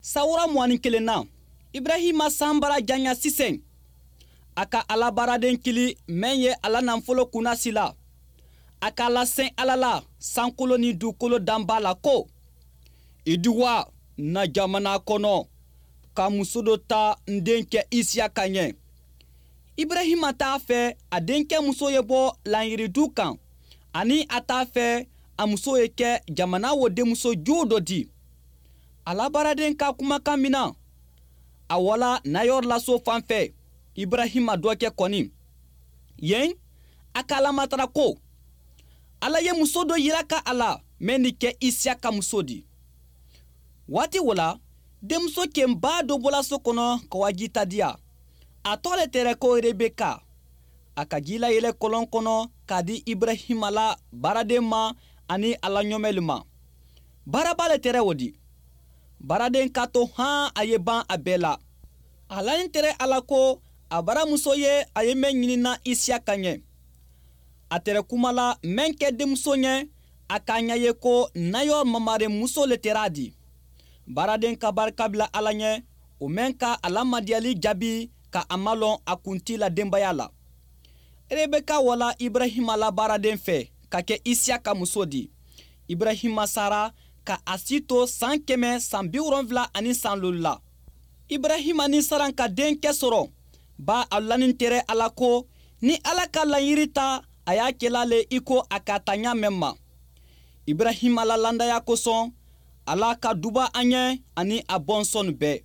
Sawura 21 na, Ibrahima san bara janya sisan. A ka Ala baaraden kili mɛn ye a la nafolo kunnasila. A k'a lasɛn Ala la sankolo ni dugukolo danba la ko: I di wa na jamana kɔnɔ ka muso dɔ ta n denkɛ Isiyaka ɲɛ. Ibrahima t'a fɛ a denkɛ muso ye bɔ laɲiridu kan, ani a t'a fɛ a muso ye kɛ jamana wo denmuso jugu dɔ di. Ala baaraden ka kumakan mina, a wala Nayɔrɔ la so fan fɛ, Ibrahima dɔkɛ kɔni. Yen, a k'a lamatara ko Ala ye muso dɔ yira ka a la mɛn ni kɛ Isiyaka muso di. Waati wo la, denmuso kenba dɔ bɔla so kɔnɔ ka wa ji ta diya. A tɔgɔ le tɛrɛ ko Rebeka. A ka ji layɛlɛ kɔlɔn kɔnɔ k'a di Ibrahima la baaraden ma ani a la ɲɔmɛlu ma. Baaraba le tɛrɛ o di. Baaraden k'a to han a ye ban a bɛɛ la. A lanin tɛrɛ a la ko a baramuso ye a ye mɛn ɲinina Isiyaka ɲɛ. A tɛrɛ kuma la mɛn kɛ denmuso ɲɛ, a k'a ɲɛ ye ko Nayɔrɔ mamare muso le tɛrɛ a di. Baaraden ka barika bila Ala ɲɛ, o mɛn ka a la madiyali jaabi ka a malɔn a kunti la denbaya la. Rebeka wala Ibrahima la baaraden fɛ ka kɛ Isiyaka muso di. Ibrahima sara ka a si to san 175 la. Ibrahima ni Saran ka denkɛ sɔrɔ, ba a lanin tɛrɛ a la ko ni Ala ka laɲiri ta, a y'a kɛla le i ko a ka ta ɲa mɛn ma. Ibrahima la landaya kosɔn, Ala ka duba an ɲɛ ani a bɔnsɔn bɛɛ.